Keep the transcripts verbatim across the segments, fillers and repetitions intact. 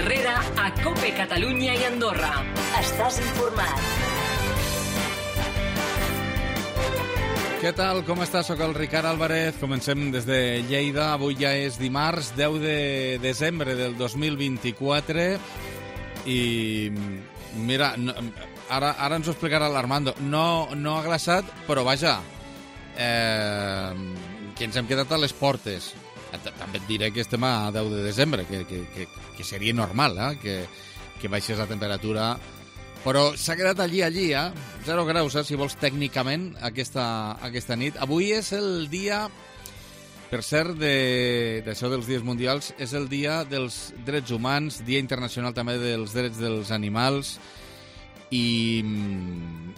Herrera a COPE Catalunya i Andorra. Estàs informat. Què tal? Com estàs? Soc el Ricard Álvarez. Comencem des de Lleida. Avui ja és dimarts, deu de desembre del dos mil vint-i-quatre. I mira, no, ara, ara ens ho explicarà l'Armando. No, no ha glaçat, però vaja, eh, que ens hem quedat a les portes. També et diré que estem a deu de desembre, que, que, que, que seria normal, eh? que, que baixés la temperatura, però s'ha quedat allí, allí, eh? zero graus, eh? si vols, tècnicament, aquesta, aquesta nit. Avui és el dia, per cert, d'això de, dels dies mundials, és el dia dels drets humans, dia internacional també dels drets dels animals, i mm,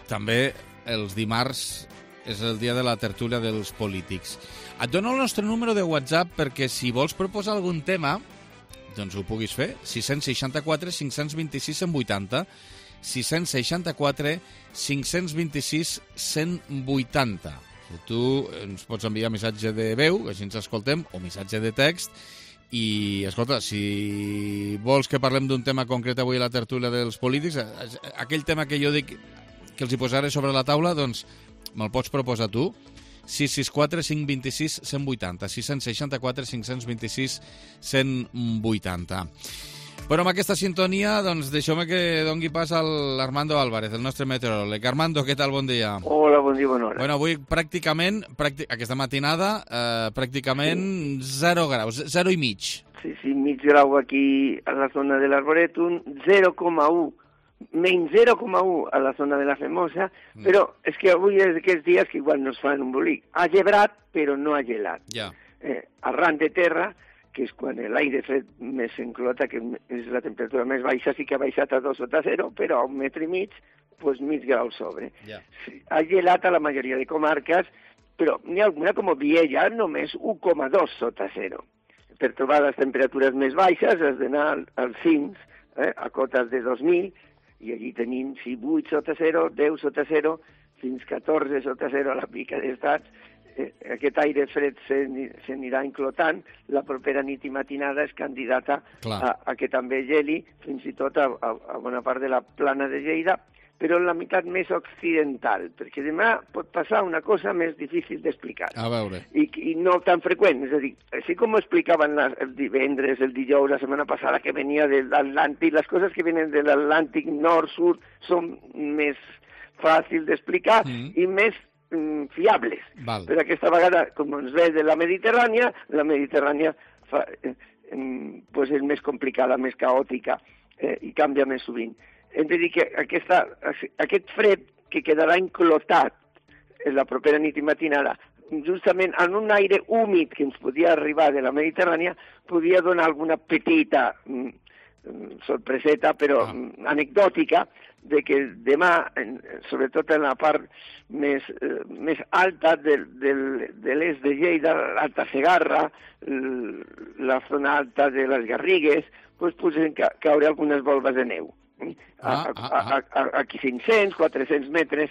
també els dimarts és el dia de la tertúlia dels polítics. Et dono el nostre número de WhatsApp perquè si vols proposar algun tema, doncs ho puguis fer. sis sis quatre, cinc dos sis, cent vuitanta. sis sis quatre, cinc dos sis, cent vuitanta. Tu ens pots enviar missatge de veu, així ens escoltem, o missatge de text. I, escolta, si vols que parlem d'un tema concret avui a la tertúlia dels polítics, aquell tema que jo dic que els hi posaré sobre la taula, doncs me'l pots proposar tu. sis sis quatre, cinc dos sis, cent vuitanta. sis sis quatre, cinc dos sis, cent vuitanta. Però amb aquesta sintonia, doncs, deixeu-me que dongui pas a l'Armando Álvarez, el nostre meteoròleg. Armando, què tal? Bon dia. Hola, bon dia, bona hora. Bueno, avui pràcticament, pràctic, aquesta matinada, eh, pràcticament sí. zero graus, zero i mig. Sí, sí, mig grau aquí a la zona de l'Arboretum, zero coma u, menys zero coma u a la zona de la Femosa, mm. però és que avui és d'aquests dies que igual no es fan un bolic. Ha gebrat, però no ha gelat. Ja. Eh, arran de terra, que és quan l'aire fred més s'enclota, que és la temperatura més baixa, sí que ha baixat a dos sota zero, però a un metre i mig, doncs mig grau sobre. Yeah. Sí, ha gelat a la majoria de comarques, però n'hi ha alguna com Viella, només u coma dos sota zero. Per trobar les temperatures més baixes has d'anar als cims, eh, a cotes de dos mil, i allí tenim sí, vuit sota zero, deu sota zero, fins catorze sota zero a la pica d'estats. Eh, aquest aire fred s'anirà enclotant, la propera nit i matinada és candidata a, a que també geli, fins i tot a, a, a bona part de la plana de Lleida, però en la meitat més occidental, perquè demà pot passar una cosa més difícil d'explicar. A veure. I, I no tan freqüent, és a dir, així com ho explicaven la, el divendres, el dijous, la setmana passada, que venia de l'Atlàntic, les coses que venen de l'Atlàntic nord-sud són més fàcils d'explicar mm. i més fiables. Val. Però aquesta vegada, com ens ve de la Mediterrània, la Mediterrània fa, eh, eh, pues és més complicada, més caòtica eh, i canvia més sovint. Hem de dir que aquesta, aquest fred que quedarà enclotat en la propera nit i matinada, justament en un aire húmid que ens podia arribar de la Mediterrània, podia donar alguna petita mm, sorpreseta, però ah. anecdòtica, de que demà, sobretot en la part més, eh, més alta del, del, de l'est de Lleida, l'Alta Segarra, la zona alta de les Garrigues, doncs podrien ca caure algunes volves de neu. A, a, a, a, a aquí cinc-cents, quatre-cents metres,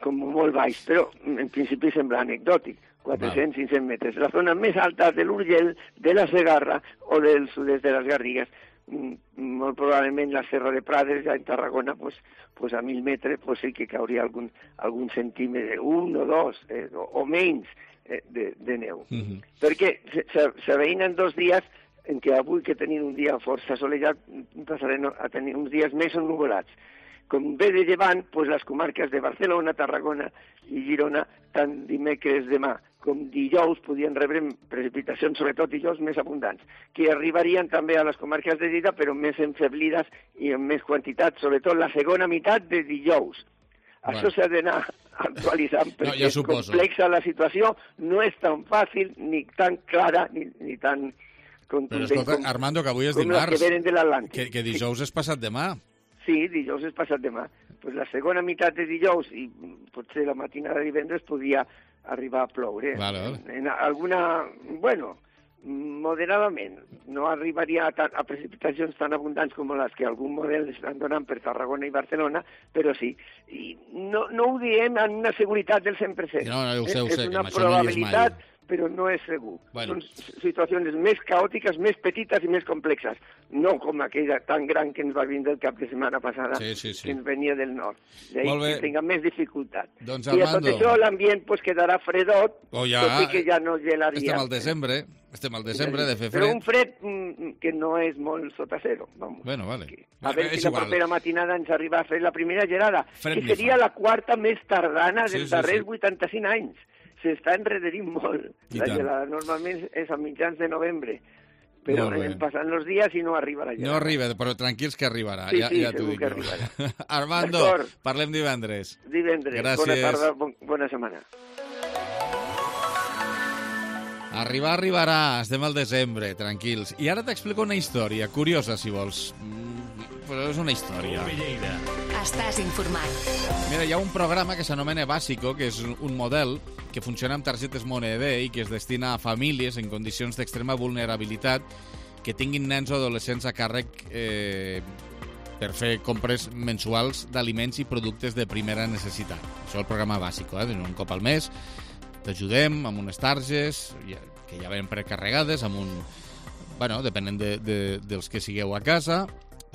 com molt baix, però en principi sembla anecdòtic, quatre-cents, cinc-cents metres. La zona més alta de l'Urgell, de la Segarra o del sud-est de les Garrigues, molt probablement la Serra de Prades, ja en Tarragona, pues, pues a mil metres pues sí que cauria algun, algun centímetre, un o dos, eh, o, o menys eh, de, de neu. Mm-hmm. Perquè s'aveïnen dos dies en què avui que tenim un dia força solellat passarem a tenir uns dies més ennuvolats. Com ve de llevant, pues les comarques de Barcelona, Tarragona i Girona, tant dimecres demà com dijous podien rebre precipitacions, sobretot dijous més abundants, que arribarien també a les comarques de Lleida, però més enfeblides i en més quantitat, sobretot la segona meitat de dijous. Bueno. Això s'ha d'anar actualitzant, perquè no, ja és complexa la situació, no és tan fàcil, ni tan clara, ni, ni tan contundent. Però escolta, com, Armando, que avui és dimarts, que, venen de l'Atlàntic. que, que dijous sí. és passat demà. Sí, dijous és passat demà. Pues la segona meitat de dijous i potser la matinada de divendres podia arribar a ploure. Vale, vale. En, en alguna, bueno, moderadament. No arribaria a, tan, a precipitacions tan abundants com les que algun model estan donant per Tarragona i Barcelona, però sí. I no, no ho diem amb una seguretat del cent per cent. No, no, ho sé, ho sé, és una probabilitat, però no és segur. Bueno. Són situacions més caòtiques, més petites i més complexes, no com aquella tan gran que ens va vindre el cap de setmana passada, sí, sí, sí. que ens venia del nord. D'ahir que tinga més dificultat. Doncs, I a Armando, tot això l'ambient pues, quedarà fredot, oh, ja, tot i que ja no gelaria. Estem al desembre, estem al desembre de fer fred. Però un fred mm, que no és molt sota zero. Vamos. Bueno, vale. Que, a veure és si la igual. propera matinada ens arriba a fer la primera gelada, Fred que seria fa. la quarta més tardana Sí, dels sí, darrers sí. vuitanta-cinc anys. S'està enrederint molt. I la tant. gelada normalment és a mitjans de novembre, però Molt bé. anem passant els dies i no arriba la gelada. No arriba, però tranquils que arribarà. Sí, ja, sí, ja t'ho segur dic que jo. arribarà. Armando, D'acord. parlem divendres. Divendres. Gràcies. Bona tarda, bon, bona setmana. Arribar arribarà, estem al desembre, tranquils. I ara t'explico una història, curiosa si vols. Mm, Però és una història. Estàs informat. Mira, hi ha un programa que s'anomena Básico, que és un model que funciona amb targetes Moneder i que es destina a famílies en condicions d'extrema vulnerabilitat que tinguin nens o adolescents a càrrec eh, per fer compres mensuals d'aliments i productes de primera necessitat. Això és el programa Básico, eh? Un cop al mes t'ajudem amb unes targes que ja ven precarregades, amb un... Bueno, depenent de, de, dels que sigueu a casa,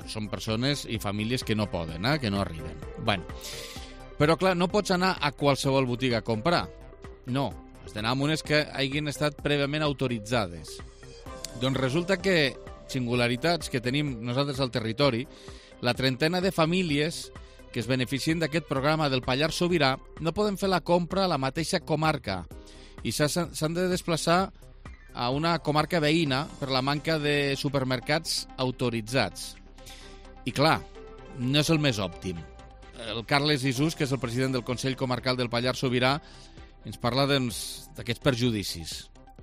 són persones i famílies que no poden, eh? Que no arriben. Bueno, però clar, no pots anar a qualsevol botiga a comprar. No, has d'anar amb unes que hagin estat prèviament autoritzades. Doncs resulta que, singularitats que tenim nosaltres al territori, la trentena de famílies que es beneficien d'aquest programa del Pallars Sobirà no poden fer la compra a la mateixa comarca i s'han de desplaçar a una comarca veïna per la manca de supermercats autoritzats. I clar, no és el més òptim. El Carles Isús, que és el president del Consell Comarcal del Pallars Sobirà, ens parla doncs, d'aquests perjudicis.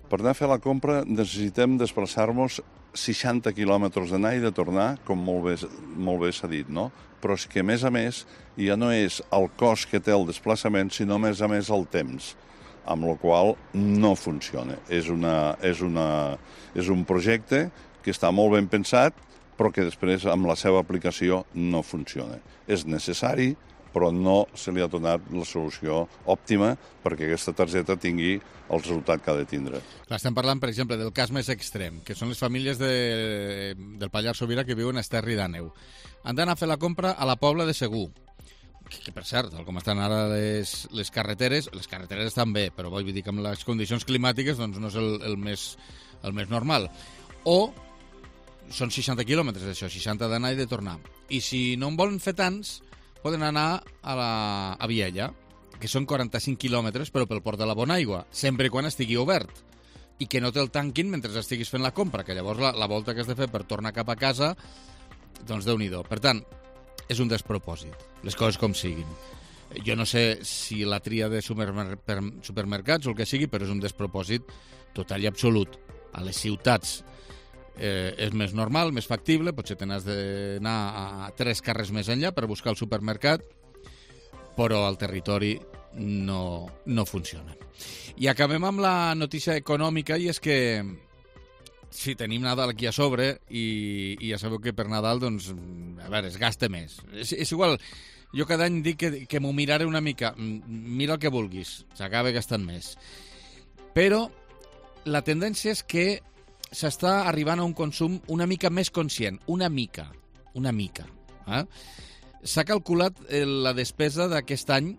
Per anar a fer la compra necessitem desplaçar-nos seixanta quilòmetres d'anar i de tornar, com molt bé, molt bé s'ha dit, no? Però és que, a més a més, ja no és el cost que té el desplaçament, sinó, a més a més, el temps, amb la qual no funciona. És, una, és, una, és un projecte que està molt ben pensat, però que després, amb la seva aplicació, no funciona. És necessari, però no se li ha donat la solució òptima perquè aquesta targeta tingui el resultat que ha de tindre. Clar, estem parlant, per exemple, del cas més extrem, que són les famílies de, del Pallars Sobirà que viuen a Esterri d'Àneu. Han d'anar a fer la compra a la Pobla de Segur, que, que per cert, com estan ara les, les carreteres, les carreteres estan bé, però vull dir que amb les condicions climàtiques doncs, no és el, el, més, el més normal. O són seixanta quilòmetres, això, seixanta d'anar i de tornar. I si no en volen fer tants, poden anar a, la, a Viella, que són quaranta-cinc quilòmetres, però pel port de la Bonaigua, sempre i quan estigui obert. I que no te'l tanquin mentre estiguis fent la compra, que llavors la, la volta que has de fer per tornar cap a casa, doncs Déu-n'hi-do. Per tant, és un despropòsit, les coses com siguin. Jo no sé si la tria de supermer supermercats o el que sigui, però és un despropòsit total i absolut. A les ciutats eh, és més normal, més factible, potser te n'has d'anar a tres carrers més enllà per buscar el supermercat, però al territori no, no funciona. I acabem amb la notícia econòmica, i és que sí, tenim Nadal aquí a sobre i, i ja sabeu que per Nadal, doncs, a veure, es gasta més. És, és igual, jo cada any dic que, que m'ho miraré una mica. Mira el que vulguis, s'acaba gastant més. Però la tendència és que s'està arribant a un consum una mica més conscient, una mica, una mica. Eh? S'ha calculat la despesa d'aquest any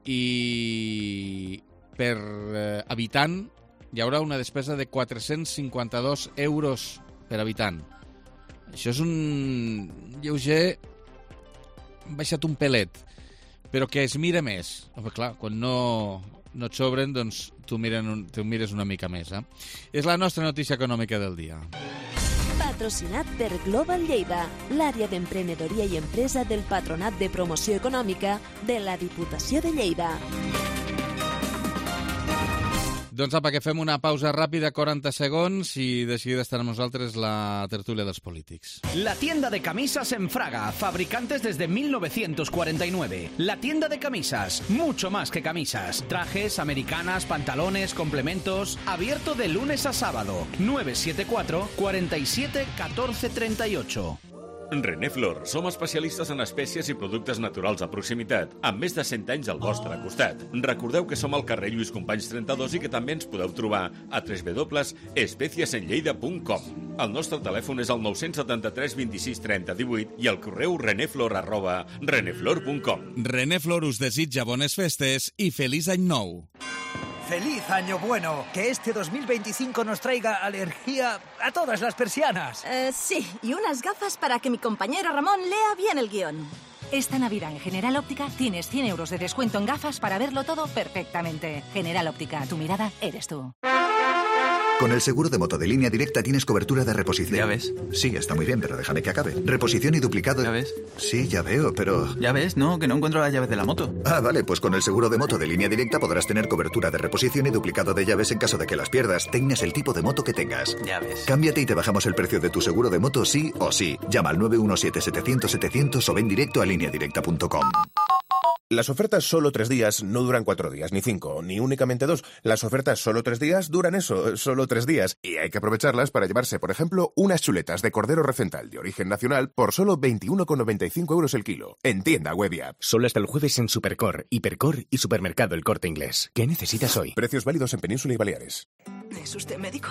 i per eh, habitant hi haurà una despesa de quatre-cents cinquanta-dos euros per habitant. Això és un lleuger baixat un pelet, però que es mira més. Home, clar, quan no, no et sobren, doncs tu, miren, tu mires una mica més. Eh? És la nostra notícia econòmica del dia. Patrocinat per Global Lleida, l'àrea d'emprenedoria i empresa del Patronat de Promoció Econòmica de la Diputació de Lleida. Doncs apa, que fem una pausa ràpida, quaranta segons, i de seguida estarà amb nosaltres la tertúlia dels polítics. La tienda de camisas en Fraga, fabricantes desde mil novecientos cuarenta y nueve. La tienda de camisas, mucho más que camisas. Trajes, americanas, pantalones, complementos. Abierto de lunes a sábado. nueve siete cuatro, cuarenta y siete, catorce treinta y ocho. Reneflor, som especialistes en espècies i productes naturals a proximitat, amb més de cent anys al vostre costat. Recordeu que som al carrer Lluís Companys trenta-dos i que també ens podeu trobar a w w w punt espècies en lleida punt com. El nostre telèfon és el nou set tres, vint sis, trenta, divuit i el correu reneflor arroba reneflor punt com. Reneflor us desitja bones festes i feliç any nou. ¡Feliz año bueno! Que este dos mil veinticinco nos traiga alergia a todas las persianas. Uh, sí, y unas gafas para que mi compañero Ramón lea bien el guión. Esta Navidad en General Óptica tienes cien euros de descuento en gafas para verlo todo perfectamente. General Óptica, tu mirada eres tú. Con el seguro de moto de Línea Directa tienes cobertura de reposición. Ya ves. Sí, está muy bien, pero déjame que acabe. Reposición y duplicado... Ya ves. Sí, ya veo, pero... Ya ves, no, que no encuentro las llaves de la moto. Ah, vale, pues con el seguro de moto de Línea Directa podrás tener cobertura de reposición y duplicado de llaves en caso de que las pierdas, tengas el tipo de moto que tengas. Ya ves. Cámbiate y te bajamos el precio de tu seguro de moto sí o sí. Llama al nueve uno siete, setecientos, setecientos o ven directo a línea directa punto com. Las ofertas solo tres días no duran cuatro días, ni cinco, ni únicamente dos. Las ofertas solo tres días duran eso, solo tres días. Y hay que aprovecharlas para llevarse, por ejemplo, unas chuletas de cordero recental de origen nacional por solo veintiuno con noventa y cinco euros el kilo. En tienda web y app. Solo hasta el jueves en Supercor, Hipercor y Supermercado El Corte Inglés. ¿Qué necesitas hoy? Precios válidos en Península y Baleares. ¿Es usted médico?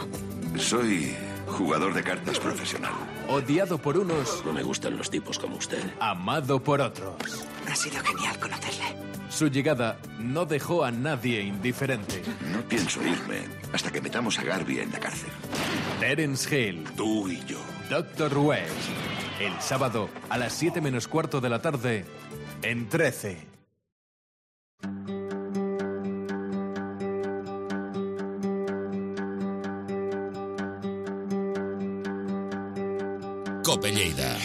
Soy jugador de cartas profesional. Odiado por unos... No me gustan los tipos como usted. Amado por otros. Ha sido genial conocerle. Su llegada no dejó a nadie indiferente. No pienso irme hasta que metamos a Garvey en la cárcel. Terence Hill. Tú y yo. Doctor West. El sábado a las siete menos cuarto de la tarde en trece. Cope Lleida.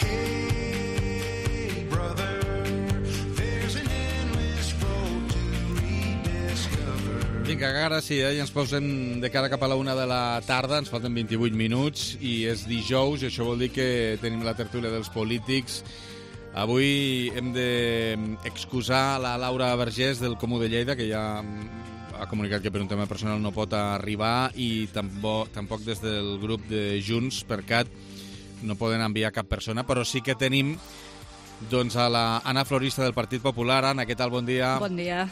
Vinga, ara sí, eh? Ja ens posem de cara cap a la una de la tarda, ens falten vint-i-vuit minuts i és dijous, i això vol dir que tenim la tertúlia dels polítics. Avui hem d'excusar la Laura Vergés del Comú de Lleida, que ja ha comunicat que per un tema personal no pot arribar, i tampoc, tampoc des del grup de Junts per Cat no poden enviar cap persona, però sí que tenim doncs, a la Anna Florista del Partit Popular. Anna, què tal? Bon dia. Bon dia.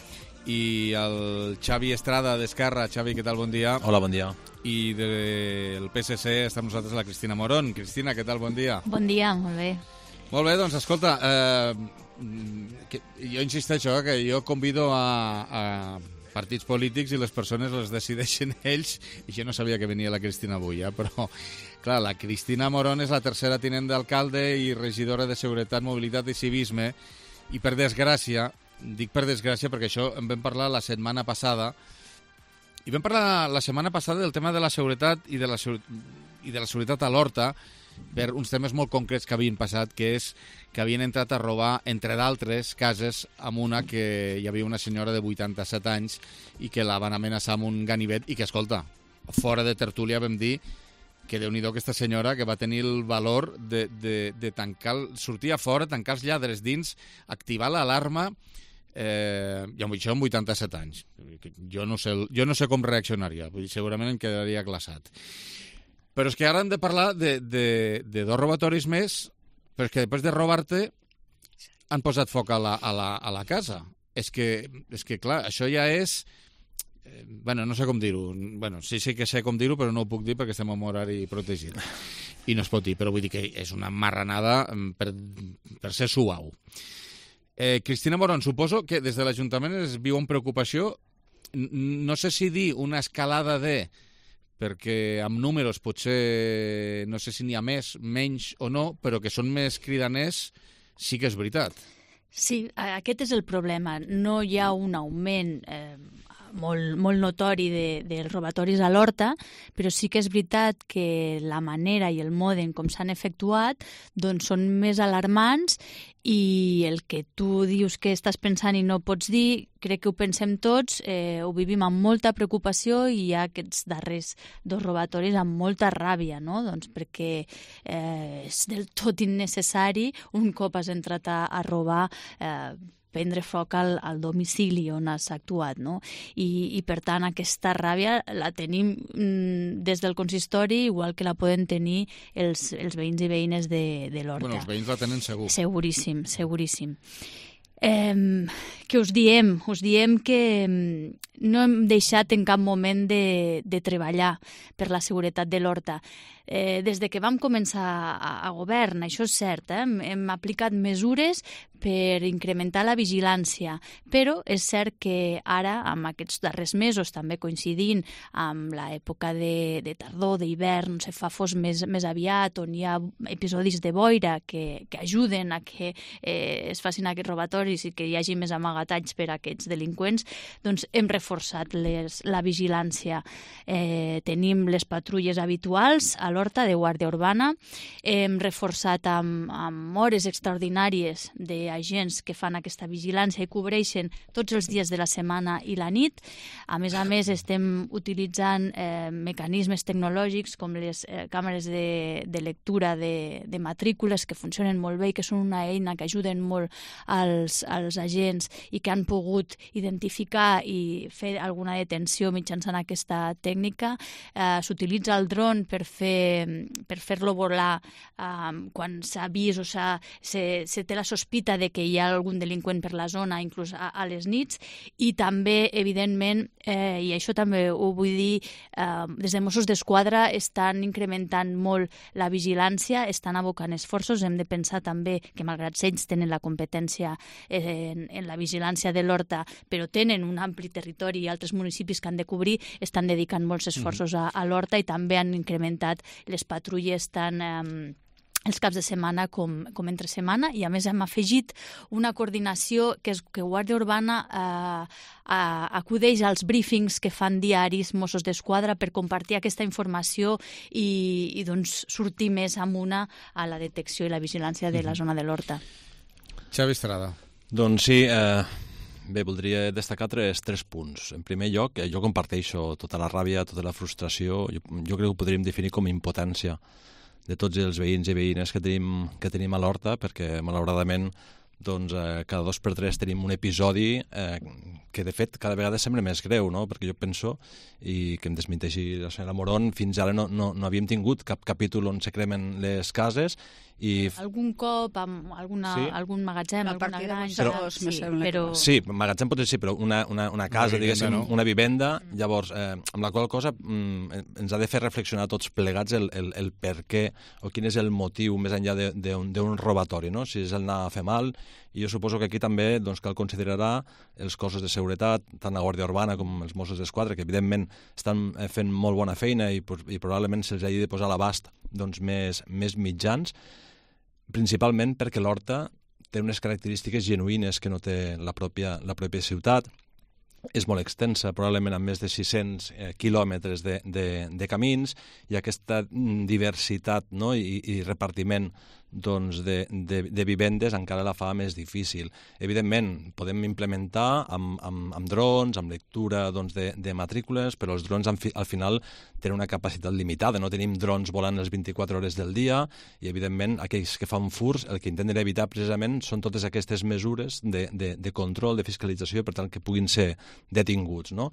I el Xavi Estrada d'Esquerra. Xavi, què tal? Bon dia. Hola, bon dia. I del P S C està amb nosaltres la Cristina Morón. Cristina, què tal? Bon dia. Bon dia, molt bé. Molt bé, doncs escolta, eh, que, jo insisteixo eh, que jo convido a, a partits polítics i les persones les decideixen ells, i jo no sabia que venia la Cristina avui, eh, però clar, la Cristina Morón és la tercera tinent d'alcalde i regidora de Seguretat, Mobilitat i Civisme, i per desgràcia, dic per desgràcia perquè això en vam parlar la setmana passada, i vam parlar la setmana passada del tema de la seguretat i de la, i de la seguretat a l'Horta, per uns temes molt concrets que havien passat, que és que havien entrat a robar, entre d'altres, cases amb una que hi havia una senyora de vuitanta-set anys i que la van amenaçar amb un ganivet i que, escolta, fora de tertúlia vam dir que déu-n'hi-do aquesta senyora que va tenir el valor de, de, de tancar, sortir a fora, tancar els lladres dins, activar l'alarma, eh, i amb això amb vuitanta-set anys. Jo no sé, jo no sé com reaccionaria, vull dir, segurament em quedaria glaçat. Però és que ara hem de parlar de, de, de dos robatoris més, però és que després de robar-te han posat foc a la, a la, a la casa. És que, és que, clar, això ja és... Eh, bueno, no sé com dir-ho. Bueno, sí, sí que sé com dir-ho, però no ho puc dir perquè estem en horari protegit. I no es pot dir, però vull dir que és una marranada per, per ser suau. Eh, Cristina Morón, suposo que des de l'Ajuntament es viu amb preocupació, no sé si dir una escalada de... perquè amb números potser no sé si n'hi ha més, menys o no, però que són més cridaners, sí que és veritat. Sí, aquest és el problema. No hi ha un augment eh, molt, molt notori de, dels robatoris a l'Horta, però sí que és veritat que la manera i el mode en com s'han efectuat doncs són més alarmants, i el que tu dius que estàs pensant i no pots dir, crec que ho pensem tots, eh, ho vivim amb molta preocupació, i hi ha aquests darrers dos robatoris amb molta ràbia, no? Doncs perquè eh, és del tot innecessari un cop has entrat a, a robar, eh, prendre foc al, al domicili on has actuat, no? I, i per tant aquesta ràbia la tenim mm, des del consistori, igual que la poden tenir els, els veïns i veïnes de, de l'Horta. Bueno, els veïns la tenen segur. Seguríssim, seguríssim. Eh, que us diem? Us diem que no hem deixat en cap moment de, de treballar per la seguretat de l'Horta. Eh, des de que vam començar a, a govern, això és cert, eh? hem, hem aplicat mesures per incrementar la vigilància, però és cert que ara, amb aquests darrers mesos, també coincidint amb l'època de, de tardor, d'hivern, se fa fos més, més aviat, on hi ha episodis de boira que, que ajuden a que eh, es facin aquests robatoris i que hi hagi més amagatalls per a aquests delinqüents, doncs hem reforçat les, la vigilància. Eh, tenim les patrulles habituals a l'Horta de Guàrdia Urbana, hem reforçat amb, amb hores extraordinàries d'agents que fan aquesta vigilància i cobreixen tots els dies de la setmana i la nit. A més a més, estem utilitzant eh, mecanismes tecnològics com les eh, càmeres de, de lectura de, de matrícules que funcionen molt bé i que són una eina que ajuden molt als, als agents i que han pogut identificar i fer alguna detenció mitjançant aquesta tècnica. Eh, s'utilitza el dron per fer per fer-lo volar um, quan s'ha vist o s'ha, se, se té la sospita de que hi ha algun delinqüent per la zona, inclús a, a les nits, i també, evidentment, eh, i això també ho vull dir, eh, des de Mossos d'Esquadra estan incrementant molt la vigilància, estan abocant esforços, hem de pensar també que malgrat ells tenen la competència eh, en, en la vigilància de l'Horta, però tenen un ampli territori i altres municipis que han de cobrir, estan dedicant molts esforços a, a l'Horta i també han incrementat les patrulles tant eh, els caps de setmana com, com entre setmana, i a més hem afegit una coordinació que és que Guàrdia Urbana eh, eh, acudeix als briefings que fan diaris Mossos d'Esquadra per compartir aquesta informació i, i doncs, sortir més amuna a la detecció i la vigilància de la zona de l'Horta. Xavi Estrada. Doncs sí, eh, bé, voldria destacar tres, tres punts. En primer lloc, jo comparteixo tota la ràbia, tota la frustració, jo, jo crec que ho podríem definir com impotència de tots els veïns i veïnes que tenim, que tenim a l'Horta, perquè malauradament doncs, eh, cada dos per tres tenim un episodi eh, que de fet cada vegada sembla més greu, no? Perquè jo penso, i que em desmenteixi la senyora Moron, fins ara no, no, no havíem tingut cap capítol on se cremen les cases i... Algun cop amb alguna, sí? algun magatzem, a alguna granja... Però, sí, però... sí, magatzem pot ser sí, però una, una, una casa, una diguéssim, no? una vivenda, llavors, eh, amb la qual cosa mm, ens ha de fer reflexionar tots plegats el, el, el per què o quin és el motiu més enllà d'un robatori, no? Si és el anar a fer mal, i jo suposo que aquí també doncs, cal considerar els cossos de seguretat, tant la Guàrdia Urbana com els Mossos d'Esquadra, que evidentment estan fent molt bona feina i, i probablement se'ls hagi de posar a l'abast doncs, més, més mitjans, principalment perquè l'Horta té unes característiques genuïnes que no té la pròpia, la pròpia ciutat. És molt extensa, probablement amb més de sis-cents eh, quilòmetres de, de, de camins, i aquesta diversitat, no? I, i repartiment doncs, de, de, de vivendes encara la fa més difícil. Evidentment, podem implementar amb, amb, amb drons, amb lectura doncs, de, de matrícules, però els drons fi, al final tenen una capacitat limitada. No tenim drons volant les vint-i-quatre hores del dia i, evidentment, aquells que fan furs el que intenten evitar precisament són totes aquestes mesures de, de, de control, de fiscalització, per tant que puguin ser detinguts, no?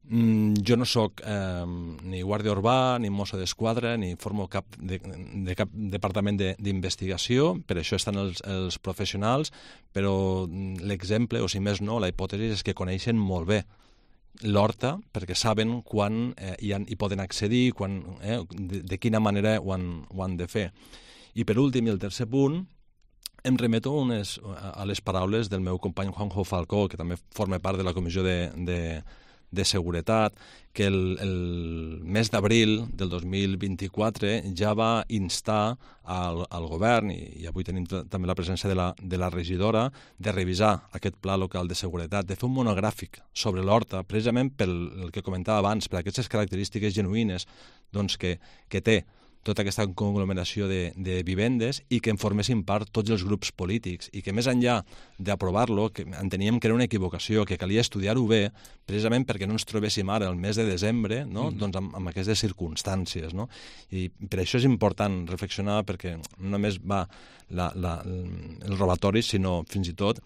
Mm, jo no sóc eh, ni guàrdia urbà, ni mosso d'esquadra, ni formo cap de, de cap departament d'investigació, per això estan els, els professionals, però l'exemple, o si més no, la hipòtesi és que coneixen molt bé l'Horta, perquè saben quan eh, hi, han, hi poden accedir, quan, eh, de, de quina manera ho han, ho han de fer. I per últim, i el tercer punt, em remeto unes, a les paraules del meu company Juanjo Falcó, que també forma part de la Comissió de, de, de Seguretat, que el, el mes d'abril del dos mil vint-i-quatre ja va instar al, al govern, i, i avui tenim també la presència de la, de la regidora, de revisar aquest pla local de seguretat, de fer un monogràfic sobre l'Horta, precisament pel el que comentava abans, per aquestes característiques genuïnes doncs, que, que té tota aquesta conglomeració de, de vivendes, i que en formessin part tots els grups polítics, i que més enllà d'aprovar-lo, que enteníem que era una equivocació, que calia estudiar-ho bé, precisament perquè no ens trobéssim ara el mes de desembre, no? mm. doncs amb, amb aquestes circumstàncies. No? I per això és important reflexionar, perquè no només va la, la, el robatori, sinó fins i tot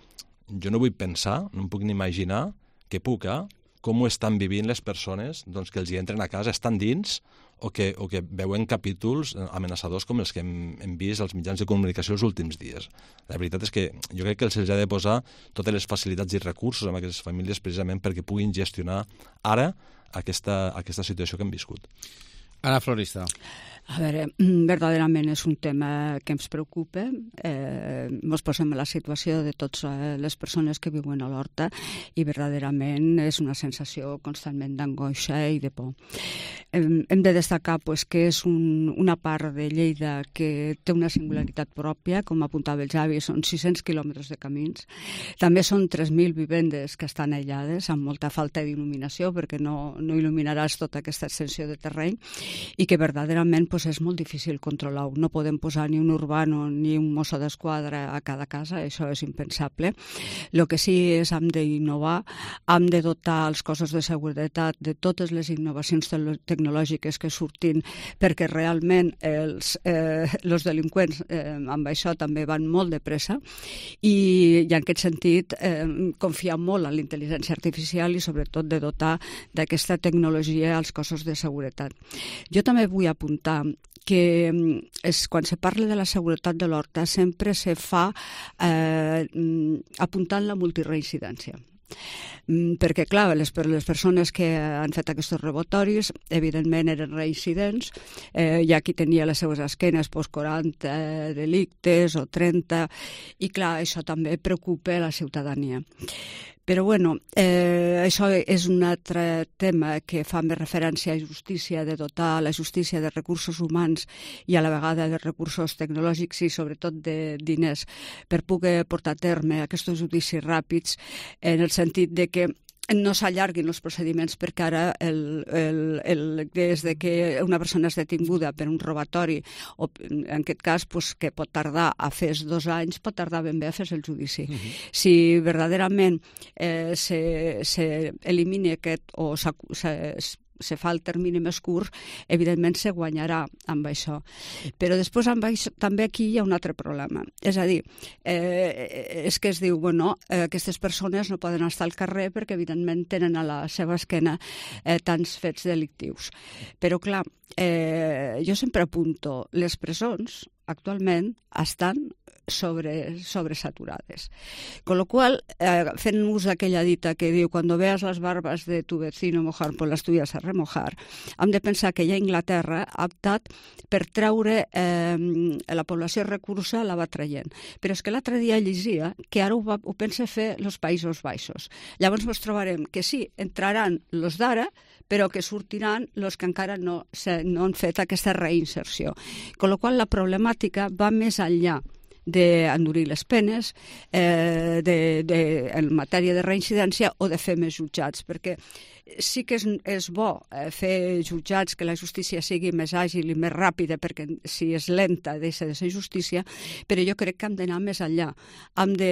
jo no vull pensar, no em puc ni imaginar que puc, eh? Com ho estan vivint les persones doncs, que els hi entren a casa, estan dins o que, o que veuen capítols amenaçadors com els que hem, hem vist als mitjans de comunicació els últims dies. La veritat és que jo crec que se'ls ha de posar totes les facilitats i recursos a aquestes famílies precisament perquè puguin gestionar ara aquesta, aquesta situació que hem viscut. Anna Florista. A veure, verdaderament és un tema que ens preocupa. Eh, ens posem en la situació de totes les persones que viuen a l'Horta i verdaderament és una sensació constantment d'angoixa i de por. Eh, hem de destacar pues, que és un, una part de Lleida que té una singularitat pròpia, com apuntava el Javi, són sis-cents quilòmetres de camins. També són tres mil vivendes que estan aïllades, amb molta falta d'il·luminació, perquè no, no il·luminaràs tota aquesta extensió de terreny, i que verdaderament pues, és molt difícil controlar-ho. No podem posar ni un urbano ni un mosso d'esquadra a cada casa, això és impensable. El que sí és hem d'innovar, hem de dotar els cossos de seguretat de totes les innovacions tecnològiques que surtin, perquè realment els, eh, els delinqüents eh, amb això també van molt de pressa i, i en aquest sentit eh, confiar molt en la intel·ligència artificial i sobretot de dotar d'aquesta tecnologia als cossos de seguretat. Jo també vull apuntar que és, quan se parla de la seguretat de l'Horta sempre se fa eh, apuntant la multireincidència. Perquè, clar, les, les persones que han fet aquests robatoris, evidentment eren reincidents, eh, hi ha qui tenia les seues esquenes pues, quaranta delictes o trenta, i clar, això també preocupa la ciutadania. Però, bueno, eh, això és un altre tema que fa més referència a justícia, de dotar la justícia de recursos humans i a la vegada de recursos tecnològics i sobretot de diners per poder portar a terme aquests judicis ràpids, en el sentit de que no s'allarguin els procediments, perquè ara el, el, el, des de que una persona és detinguda per un robatori, o en aquest cas pues, que pot tardar a fer dos anys, pot tardar ben bé a fer el judici. Uh-huh. Si verdaderament eh, s'elimina aquest o se, se fa el termini més curt, evidentment se guanyarà amb això. Però després amb això, també aquí hi ha un altre problema. És a dir, eh, és que es diu, bueno, eh, aquestes persones no poden estar al carrer perquè evidentment tenen a la seva esquena eh, tants fets delictius. Però clar, eh, jo sempre apunto, les presons actualment estan sobre, sobresaturades. Con lo cual, eh, fent ús d'aquella dita que diu cuando veas las barbas de tu vecino mojar, pues las tuyas a remojar, hem de pensar que ja Inglaterra ha optat per treure eh, la població recursa, la va traient. Però és que l'altre dia llegia que ara ho, va, ho pensa fer els Països Baixos. Llavors ens trobarem que sí, entraran els d'ara, però que sortiran els que encara no, se, no han fet aquesta reinserció. Con lo qual la problemàtica va més enllà d'endurir les penes eh, de, de, en matèria de reincidència o de fer més jutjats, perquè sí que és, és bo eh, fer jutjats, que la justícia sigui més àgil i més ràpida, perquè si és lenta deixa de ser justícia, però jo crec que hem d'anar més enllà. Hem de,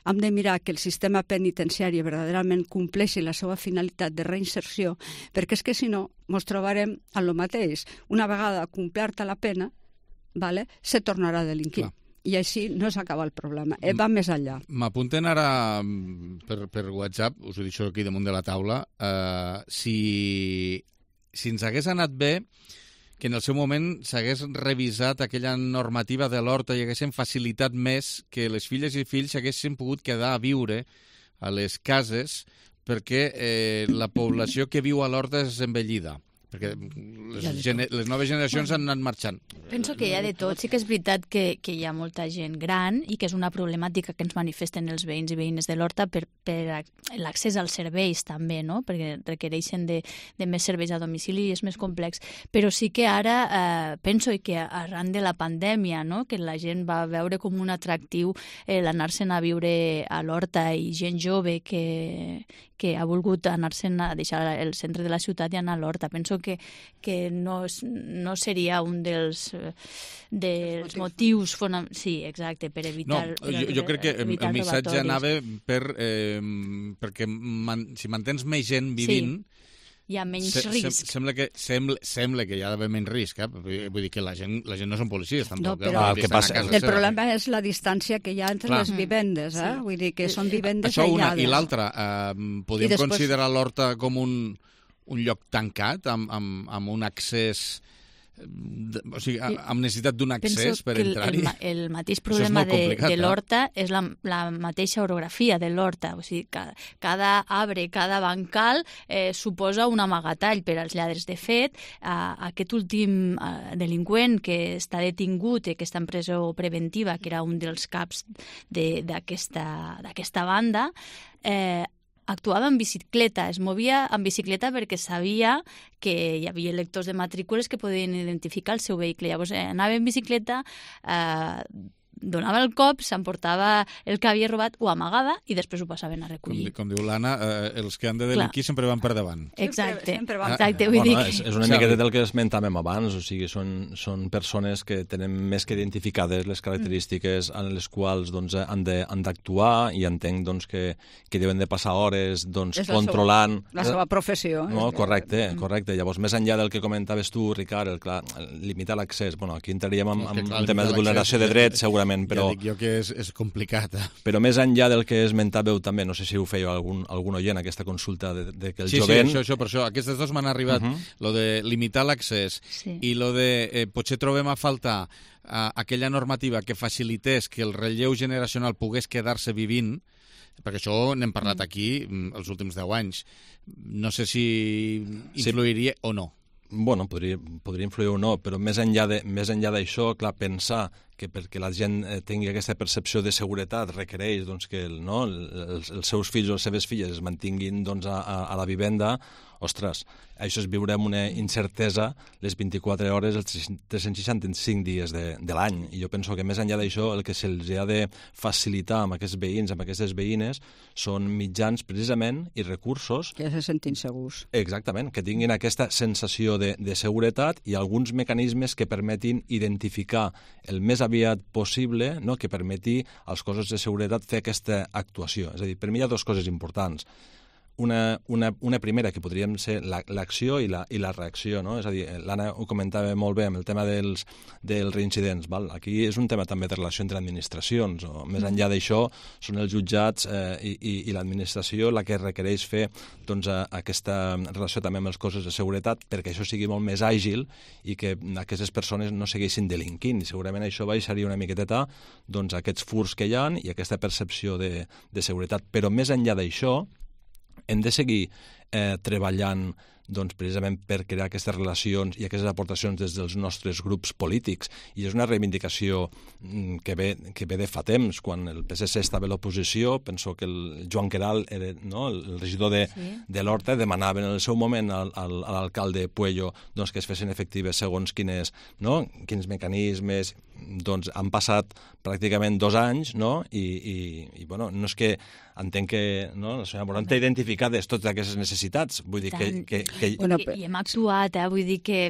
hem de mirar que el sistema penitenciari verdaderament compleixi la seva finalitat de reinserció, perquè és que si no ens trobarem en el mateix. Una vegada completa la pena, vale, se tornarà a delinquir. Clar. I així no s'acaba el problema, eh, va més enllà. M'apunten ara per, per WhatsApp, us ho deixo aquí damunt de la taula, eh, si, si ens hagués anat bé que en el seu moment s'hagués revisat aquella normativa de l'Horta i haguessin facilitat més que les filles i fills haguessin pogut quedar a viure a les cases perquè eh, la població que viu a l'Horta és envellida. Perquè les, gene les noves generacions han anat marxant. Penso que hi ha de tot. Sí que és veritat que, que hi ha molta gent gran i que és una problemàtica que ens manifesten els veïns i veïnes de l'Horta per, per l'accés als serveis també, no? Perquè requereixen de, de més serveis a domicili i és més complex. Però sí que ara eh, penso que arran de la pandèmia, no? Que la gent va veure com un atractiu eh, l'anar-se'n a viure a l'Horta i gent jove que, que ha volgut anar-se'n a deixar el centre de la ciutat i anar a l'Horta. Penso que, que no, no seria un dels, dels motius fonamentals. Sí, exacte, per evitar... No, jo, jo crec que el missatge anava per, eh, perquè man, si mantens més gent vivint, sí. hi ha menys se, risc. Se, sembla, que, sembla, sembla que hi ha d'haver menys risc, eh? Vull dir que la gent, la gent no són policies, tampoc. No, però eh? el, passa, el problema és la distància que hi ha entre Clar. les vivendes, eh? Sí. Vull dir que són vivendes Això una, aïllades. I l'altra, eh, podríem després... considerar l'Horta com un, un lloc tancat, amb, amb, amb un accés... O sigui, amb necessitat d'un accés per entrar-hi. Penso que el, el mateix problema de, de l'Horta és la, la mateixa orografia de l'Horta. O sigui, cada, cada arbre, cada bancal eh, suposa un amagatall per als lladres. De fet, eh, aquest últim eh, delinqüent que està detingut i que està en presó preventiva, que era un dels caps d'aquesta banda, eh, actuava en bicicleta, es movia en bicicleta perquè sabia que hi havia lectors de matrícules que podien identificar el seu vehicle. Llavors eh, anava en bicicleta, eh, donava el cop, s'emportava el que havia robat, ho amagava i després ho passaven a recollir. Com, com diu l'Anna, eh, els que han de delinquir sempre van per davant. Exacte. Sempre van. Exacte, vull bueno, dir... És, és una miqueta del que esmentàvem abans, o sigui, són, són persones que tenen més que identificades les característiques en les quals doncs, han d'actuar i entenc doncs, que, que deuen de passar hores doncs, controlant... La seva professió. No, correcte, correcte. Llavors, més enllà del que comentaves tu, Ricard, el, clar, el limitar l'accés, bueno, aquí entraríem en, en, en tema de vulneració de drets, segurament, però... Ja dic jo que és, és complicat. Eh? Però més enllà del que esmentàveu també, no sé si ho fèieu algun, algun oient, aquesta consulta de, de que el sí, jovent... Sí, això, això, per això. Aquestes dues m'han arribat, uh -huh. lo de limitar l'accés sí. i lo de eh, potser trobem a faltar eh, aquella normativa que facilités que el relleu generacional pogués quedar-se vivint, perquè això n'hem parlat aquí els últims deu anys. No sé si influiria sí. o no. Bueno, podria, podria influir o no, però més enllà de, més enllà d'això, clar, pensar que perquè la gent eh, tingui aquesta percepció de seguretat requereix doncs, que el, no, els, els seus fills o les seves filles es mantinguin doncs, a, a la vivenda, ostres, això és viure amb una incertesa les vint-i-quatre hores, els tres-cents seixanta-cinc dies de, de l'any. I jo penso que més enllà d'això, el que se'ls ha de facilitar amb aquests veïns, amb aquestes veïnes, són mitjans precisament i recursos... Que se sentin segurs. Exactament, que tinguin aquesta sensació de, de seguretat i alguns mecanismes que permetin identificar el més aviat possible, no?, que permeti als cossos de seguretat fer aquesta actuació. És a dir, per mi hi ha dues coses importants. Una, una, una primera, que podríem ser l'acció la, i, la, i la reacció, no? És a dir, l'Anna ho comentava molt bé amb el tema dels, dels reincidents, val? Aquí és un tema també de relació entre administracions, o més enllà d'això són els jutjats eh, i, i, i l'administració la que requereix fer doncs, aquesta relació també amb els cossos de seguretat perquè això sigui molt més àgil i que aquestes persones no segueixin delinquint. I segurament això baixaria una miqueteta doncs, aquests furs que hi ha i aquesta percepció de, de seguretat. Però més enllà d'això, hem de seguir eh, treballant doncs, precisament per crear aquestes relacions i aquestes aportacions des dels nostres grups polítics. I és una reivindicació que ve, que ve de fa temps. Quan el P S C estava a l'oposició, penso que el Joan Queralt, era, no, el regidor de, sí. de l'Horta, demanaven en el seu moment al, al, a l'alcalde Puello doncs, que es fessin efectives segons quines, no, quins mecanismes. Doncs han passat pràcticament dos anys, no? I, i, i bueno, no és que entenc que no, la senyora Morant té identificades totes aquestes necessitats. Vull dir que... que, que... Bueno, I, I hem actuat, eh? Vull dir que,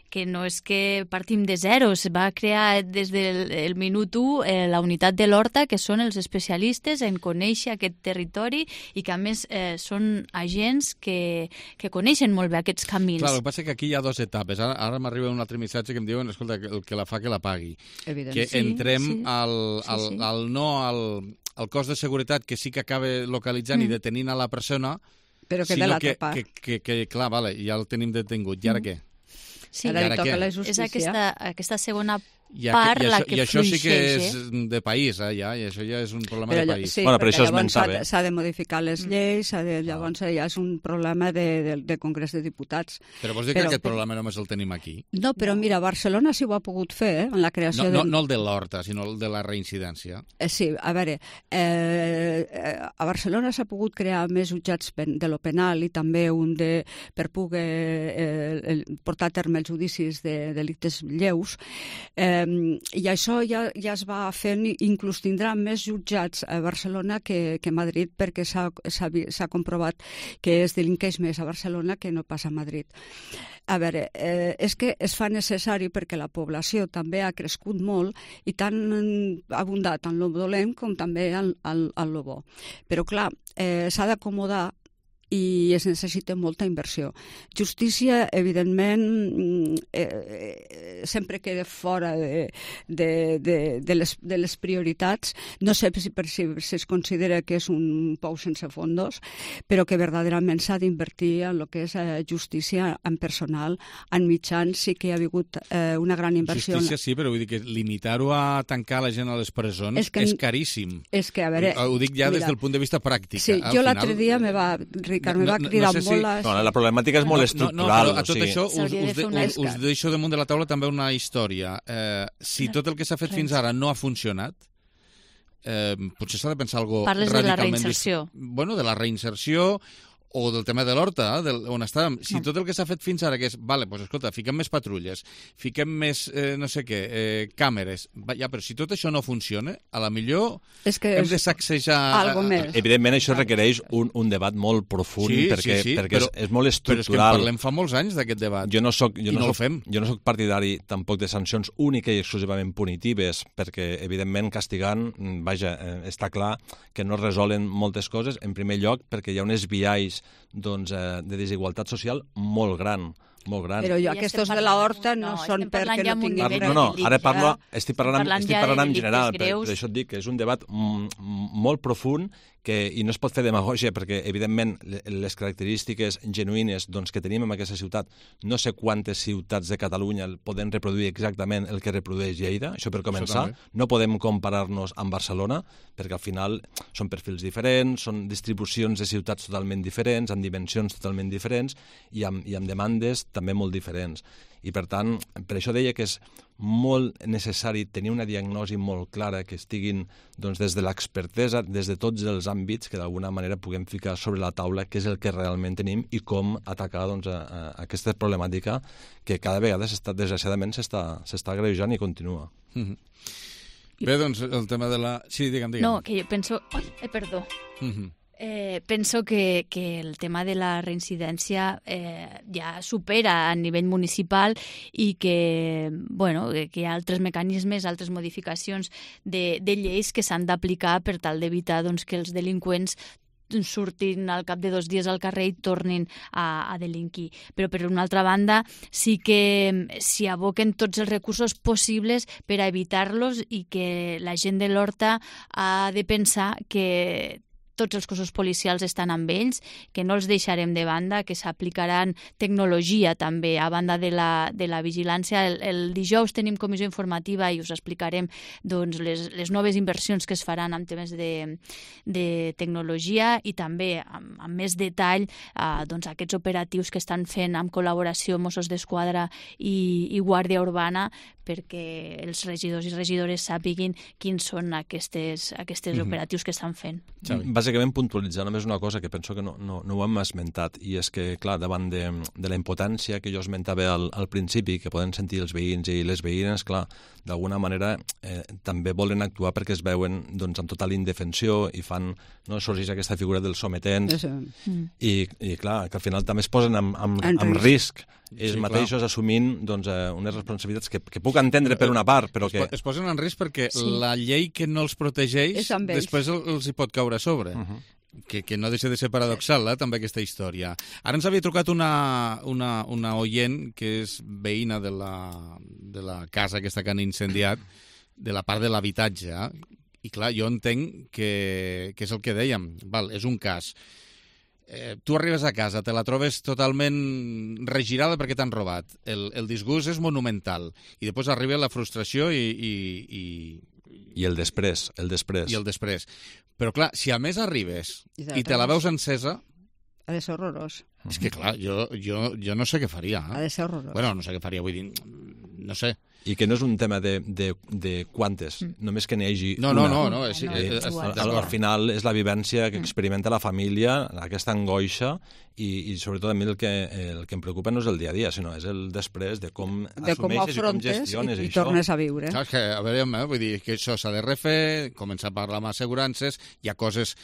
que no és que partim de zero, es va crear des del el minut u eh, la unitat de l'Horta, que són els especialistes en conèixer aquest territori i que a més eh, són agents que, que coneixen molt bé aquests camins. Clar, el que passa és que aquí hi ha dues etapes. Ara, ara m'arriba un altre missatge que em diuen, escolta, el que la fa que la pagui. Evident. Que sí, entrem sí. al, al, sí, sí. al no al, al cos de seguretat que sí que acaba localitzant mm. i detenint a la persona, però que de l'altra part. Que, que, que, clar, vale, ja el tenim detingut. I ara mm. què? Sí, ara li toca la justícia. És aquesta, aquesta segona I, part i, la això, que i això sí que és eh? de país, eh, ja, i això ja és un problema però, de país. Sí, bueno, però això llavors s'ha s'ha de modificar les lleis, de, llavors ja és un problema de, de, de Congrés de Diputats. Però vols dir però, que aquest problema només el tenim aquí? No, però mira, Barcelona sí ho ha pogut fer, eh, en la creació... No, no, de... no el de l'Horta, sinó el de la reincidència. Eh, sí, a veure, eh, a Barcelona s'ha pogut crear més jutjats de lo penal i també un de per poder eh, portar a terme els judicis de delictes lleus, eh, i això ja, ja es va fent, inclús tindrà més jutjats a Barcelona que, que a Madrid, perquè s'ha comprovat que es delinqueix més a Barcelona que no passa a Madrid. A veure, eh, és que es fa necessari perquè la població també ha crescut molt i tant ha abundat en lo dolent com també en, en, en lo bo. Però clar, eh, s'ha d'acomodar i es necessita molta inversió. Justícia, evidentment, eh, sempre queda fora de, de, de, de, les, de les prioritats. No sé si, per, si, si es considera que és un pou sense fondos, però que verdaderament s'ha d'invertir en el que és eh, justícia, en personal, en mitjans. Sí que hi ha hagut eh, una gran inversió. Justícia sí, però vull dir que limitar-ho a tancar la gent a les presons és, que, és caríssim. És que, a veure... Ho dic ja mira, des del punt de vista pràctic. Sí, jo l'altre dia me va... Ricard, me va cridar no, no, no sé molt... Si... No, la problemàtica és molt estructural. No, no, però a tot o sigui... això us, us, de, us, us deixo damunt de la taula també una història. Eh, si tot el que s'ha fet fins ara no ha funcionat, eh, potser s'ha de pensar alguna cosa radicalment... Parles de la reinserció. Bueno, de la reinserció o del tema de l'Horta, eh, on estàvem. Si tot el que s'ha fet fins ara, que és, vale, doncs escolta, fiquem més patrulles, fiquem més, eh, no sé què, eh, càmeres, va, ja, però si tot això no funciona, a la millor és que hem de sacsejar... Algo més. Evidentment, això requereix un, un debat molt profund, sí, perquè, sí, sí, perquè però, és, és molt estructural. Però és que en parlem fa molts anys d'aquest debat, jo no soc, jo i no no soc, ho fem. Jo no soc partidari tampoc de sancions únicament i exclusivament punitives, perquè, evidentment, castigant, vaja, eh, està clar que no resolen moltes coses, en primer lloc, perquè hi ha uns biaix doncs, eh, de desigualtat social molt gran, molt gran. Però jo, aquests de la Horta no, no són perquè no tinguin... No, no, ara parlo, estic parlant, estic parlant en general, per, per això et dic que és un debat molt profund que, i no es pot fer demagògia perquè, evidentment, les característiques genuïnes doncs, que tenim en aquesta ciutat, no sé quantes ciutats de Catalunya poden reproduir exactament el que reprodueix Lleida, això per començar. Això no podem comparar-nos amb Barcelona, perquè al final són perfils diferents, són distribucions de ciutats totalment diferents, amb dimensions totalment diferents i amb, i amb demandes també molt diferents. I, per tant, per això deia que és molt necessari tenir una diagnosi molt clara, que estiguin doncs, des de l'expertesa, des de tots els àmbits, que d'alguna manera puguem ficar sobre la taula què és el que realment tenim i com atacar doncs, a, a aquesta problemàtica que cada vegada, desgraciadament, s'està agreujant i continua. Mm-hmm. Bé, doncs, el tema de la... Sí, digue'm, digue'm. No, que jo penso... Ai, eh, perdó. Mm-hmm. Eh, penso que, que el tema de la reincidència eh, ja supera a nivell municipal i que, bueno, que hi ha altres mecanismes, altres modificacions de, de lleis que s'han d'aplicar per tal d'evitar doncs, que els delinqüents surtin al cap de dos dies al carrer i tornin a, a delinquir. Però, per una altra banda, sí que s'hi aboquen tots els recursos possibles per a evitar-los i que la gent de l'Horta ha de pensar que tots els cossos policials estan amb ells, que no els deixarem de banda, que s'aplicaran tecnologia també, a banda de la, de la vigilància. El, el dijous tenim comissió informativa i us explicarem doncs, les, les noves inversions que es faran en temes de, de tecnologia i també amb, amb més detall eh, doncs, aquests operatius que estan fent amb col·laboració Mossos d'Esquadra i, i Guàrdia Urbana perquè els regidors i regidores sàpiguin quins són aquestes, aquestes mm-hmm. operatius que estan fent. Xavi. Bàsicament puntualitzar només una cosa que penso que no, no, no ho hem esmentat, i és que, clar, davant de, de la impotència que jo esmentava al, al principi, que poden sentir els veïns i les veïnes, clar, d'alguna manera eh, també volen actuar perquè es veuen doncs, amb total indefensió i fan, no, sorgeix aquesta figura del sometent, mm. i, i clar, que al final també es posen amb, amb, amb risc. Ells sí, mateixos clar. Assumint doncs, eh, unes responsabilitats que, que puc entendre per una part, però que... Es posen en risc perquè sí. la llei que no els protegeix després els hi pot caure a sobre. Uh-huh. Que, que no deixa de ser paradoxal, eh, també, aquesta història. Ara ens havia trucat una, una, una oient que és veïna de la, de la casa aquesta que han incendiat, de la part de l'habitatge. Eh? I clar, jo entenc que, que és el que dèiem. Val, és un cas. Eh, tu arribes a casa, te la trobes totalment regirada perquè t'han robat. El, el disgust és monumental. I després arriba la frustració i... i, i... I el després, el després. I el després. Però clar, si a més arribes i, i te la veus encesa... Ha de ser horrorós. És que clar, jo, jo, jo no sé què faria. Eh? Ha de ser horrorós. Bueno, no sé què faria, vull dir... No sé. I que no és un tema de, de, de quantes, mm. només que n'hi hagi no, una. No, no, no. És, no, eh, és, al, al final és la vivència que experimenta la família, aquesta angoixa, i, i sobretot a mi el que, el que em preocupa no és el dia a dia, sinó és el després de com de assumeixes com i com gestiones. I, i tornes a viure. Clar, que, a veure, eh, vull dir que això s'ha de refer, començar a parlar amb assegurances, hi ha coses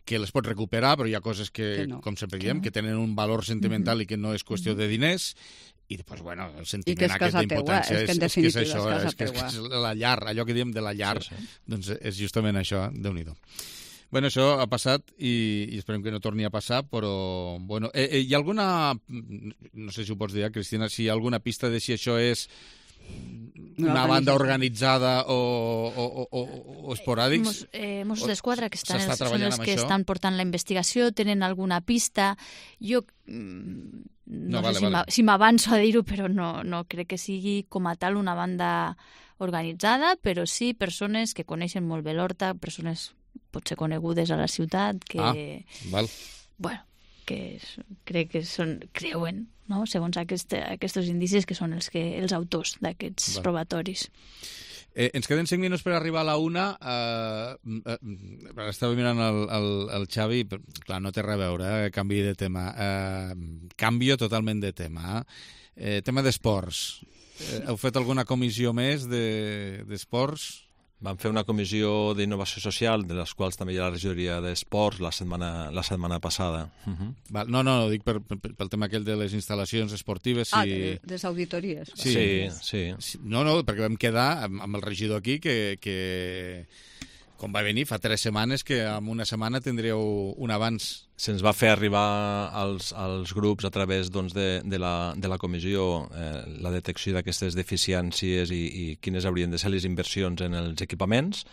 que les pots recuperar, però hi ha coses que, que no. com sempre diem, que, no. que tenen un valor sentimental mm-hmm. i que no és qüestió de diners, i després, bueno, el sentiment aquest d'impotència és, és, que és això, és, és que és, és la llar, allò que diem de la llar, sí, sí. doncs és justament això, Déu-n'hi-do. Bueno, això ha passat i, i esperem que no torni a passar, però, bueno, eh, eh, hi ha alguna, no sé si ho pots dir, Cristina, si hi ha alguna pista de si això és una banda organitzada o, o, o, o, o esporàdics? Mos, eh, Mossos d'Esquadra, que estan, els, són els que això? estan portant la investigació, tenen alguna pista. Jo no, no vale, sé si, vale. si m'avanço a dir-ho, però no, no crec que sigui com a tal una banda organitzada, però sí persones que coneixen molt bé l'Horta, persones potser conegudes a la ciutat, que, ah, val. bueno, que és, crec que són, creuen, no? Segons aquest, aquests indicis, que són els, que, els autors d'aquests robatoris. Eh, ens queden cinc minuts per arribar a la una. Eh, eh, estava mirant el, el, el Xavi, però, clar, no té res a veure, eh, canvi de tema. Eh, canvio totalment de tema. Eh, tema d'esports. Eh, heu fet alguna comissió més d'esports? De, Vam fer una comissió d'innovació social, de les quals també hi ha la regidoria d'esports la setmana, la setmana passada. Uh -huh. Val, no, no, dic per, per, pel tema aquell de les instal·lacions esportives. Si... Ah, de, de les auditories. Sí, sí, sí. sí. No, no, perquè vam quedar amb, amb el regidor aquí que, que, com va venir, fa tres setmanes que en una setmana tindríeu un avanç. Se'ns va fer arribar als, als grups a través doncs, de, de, la, de la comissió eh, la detecció d'aquestes deficiències i, i quines haurien de ser les inversions en els equipaments.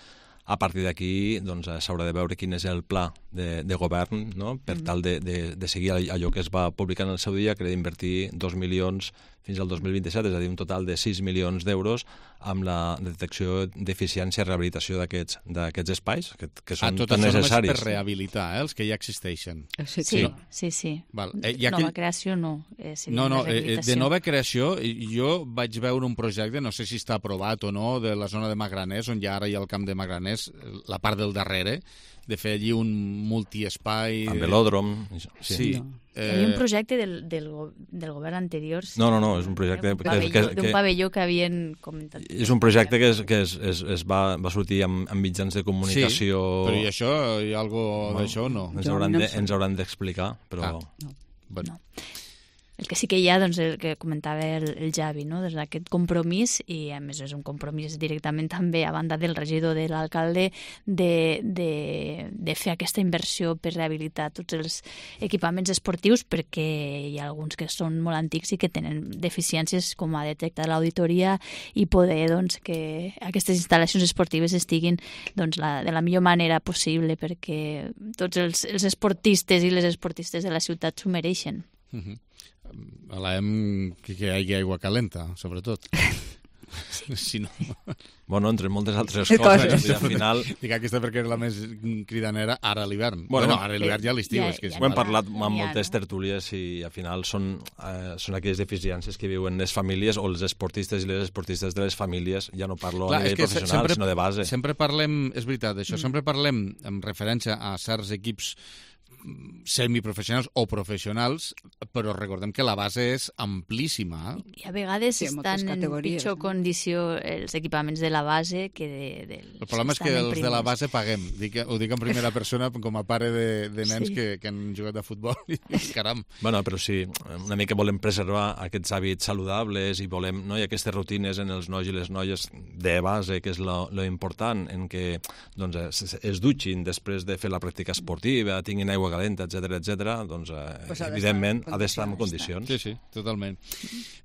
A partir d'aquí doncs, s'haurà de veure quin és el pla de, de govern, no? Per mm. tal de, de, de seguir allò que es va publicar en el seu dia, que era d'invertir dos milions fins al dos mil vint-i-set, és a dir, un total de sis milions d'euros amb la detecció d'eficiència i rehabilitació d'aquests espais, que, que són ah, tan necessaris. Tot això només per rehabilitar, eh, els que ja existeixen. Sí, sí. sí, sí. Val. Eh, nova aquell... creació no. Eh, no, no, eh, de nova creació, jo vaig veure un projecte, no sé si està aprovat o no, de la zona de Magraners, on ja ara hi ha el camp de Magraners, la part del darrere, de fer allí un multiespai... Amb velòdrom. Sí. sí. No. Eh... Hi havia un projecte del, del, del govern anterior. Sí. No, no, no, és un projecte... Un pavelló, que, que, d'un pavelló que havien comentat. És un projecte que es, que es, es, es va, va sortir amb, amb mitjans de comunicació... Sí, però i això, hi ha alguna cosa d'això o no? Ens hauran, de, ens hauran d'explicar, però... Ah, no. Bueno. no. El que sí que hi ha, doncs, el que comentava el, el Javi, no? Doncs aquest compromís, i a més és un compromís directament també a banda del regidor, de l'alcalde, de, de, de fer aquesta inversió per rehabilitar tots els equipaments esportius, perquè hi ha alguns que són molt antics i que tenen deficiències, com ha detectat l'auditoria, i poder doncs, que aquestes instal·lacions esportives estiguin doncs, la, de la millor manera possible, perquè tots els, els esportistes i les esportistes de la ciutat s'ho mereixen. Uh-huh. A l'E M que, que hi hagi aigua calenta, sobretot. Sí. Si no... Bueno, entre moltes altres coses. I al final... Dic aquesta perquè era la més cridanera ara a l'hivern. Bueno, bueno, ara a l'hivern ja a l'estiu. Ja, és que ja, ho hem parlat amb moltes tertúlies i al final són, eh, són aquelles deficiències que viuen les famílies o els esportistes i les esportistes de les famílies. Ja no parlo Clar, a nivell professional, sempre, sinó de base. Sempre parlem, és veritat, això, mm. sempre parlem en referència a certs equips semiprofessionals o professionals, però recordem que la base és amplíssima. I a vegades sí, estan en pitjor no? condició els equipaments de la base que de, dels El problema és que els primers. de la base paguem. Dic, ho dic en primera persona com a pare de, de nens sí. que, que han jugat a futbol i caram. Bueno, però sí, una mica volem preservar aquests hàbits saludables i volem, no? I aquestes rutines en els nois i les noies de base, que és lo, lo important, en què doncs, es, es dutxin després de fer la pràctica esportiva, tinguin aigua calenta, etcètera, etcètera, doncs eh, pues evidentment ha d'estar en condicions. Sí, sí, totalment.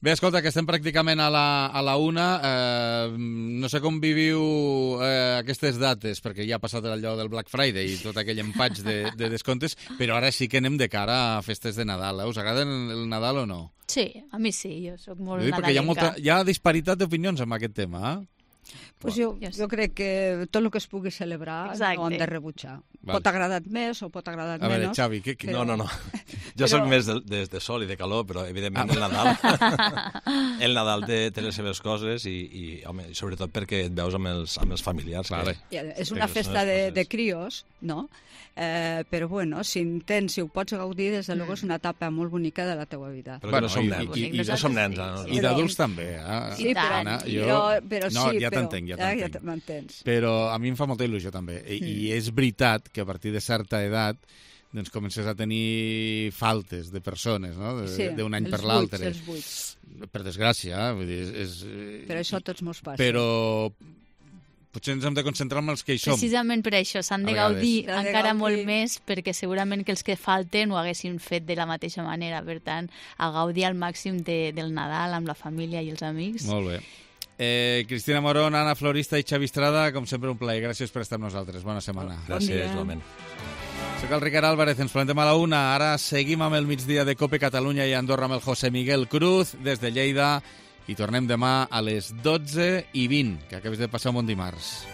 Bé, escolta, que estem pràcticament a la, a la una. Eh, no sé com viviu eh, aquestes dates, perquè ja ha passat allò del Black Friday i tot aquell empatx de, de descomptes, però ara sí que anem de cara a festes de Nadal. Eh? Us agrada el Nadal o no? Sí, a mi sí, jo soc molt nadalenca. Perquè hi ha, molta, hi ha disparitat d'opinions amb aquest tema, eh? Pues jo, jo crec que tot el que es pugui celebrar Exacte. no ho hem de rebutjar. Val. Pot agradar més o pot agradar menys. A veure, Xavi, què... què... Però... No, no, no. Jo però... soc més de, de, de sol i de calor, però evidentment ah. el Nadal el Nadal té, té les seves coses i, i home, sobretot perquè et veus amb els, amb els familiars. Vale. Que... És una festa de, de crios, no? Eh, però bueno, si intents, si ho pots gaudir, des de luego és una etapa molt bonica de la teua vida. Però bueno, no som nens. I, i, i, no som nens. Sí, sí. I d'adults també, eh? Sí, però, Anna, jo... però, però no, sí, ja però... t'entenc, ja t'entenc. Ja m'entens. Però a mi em fa molta il·lusió també. I, mm. I és veritat que a partir de certa edat doncs comences a tenir faltes de persones, no? De, sí, d'un any per l'altre. Els buits. Per desgràcia, eh? Vull dir, és... Però això a tots mos passa. Però... potser ens hem de concentrar en els que hi som. Precisament per això, s'han de A gaudir vegades. encara gaudir. molt més, perquè segurament que els que falten ho haguessin fet de la mateixa manera. Per tant, a gaudir al màxim de, del Nadal amb la família i els amics. Molt bé. Eh, Cristina Morón, Anna Florista i Xavi Estrada, com sempre un plaer. Gràcies per estar amb nosaltres. Bona setmana. Gràcies, igualment. Soc el Ricard Álvarez, ens plantem a la una. Ara seguim amb el migdia de COPE Catalunya i Andorra amb el José Miguel Cruz des de Lleida i tornem demà a les dotze i vint, que acabes de passar un bon dimarts.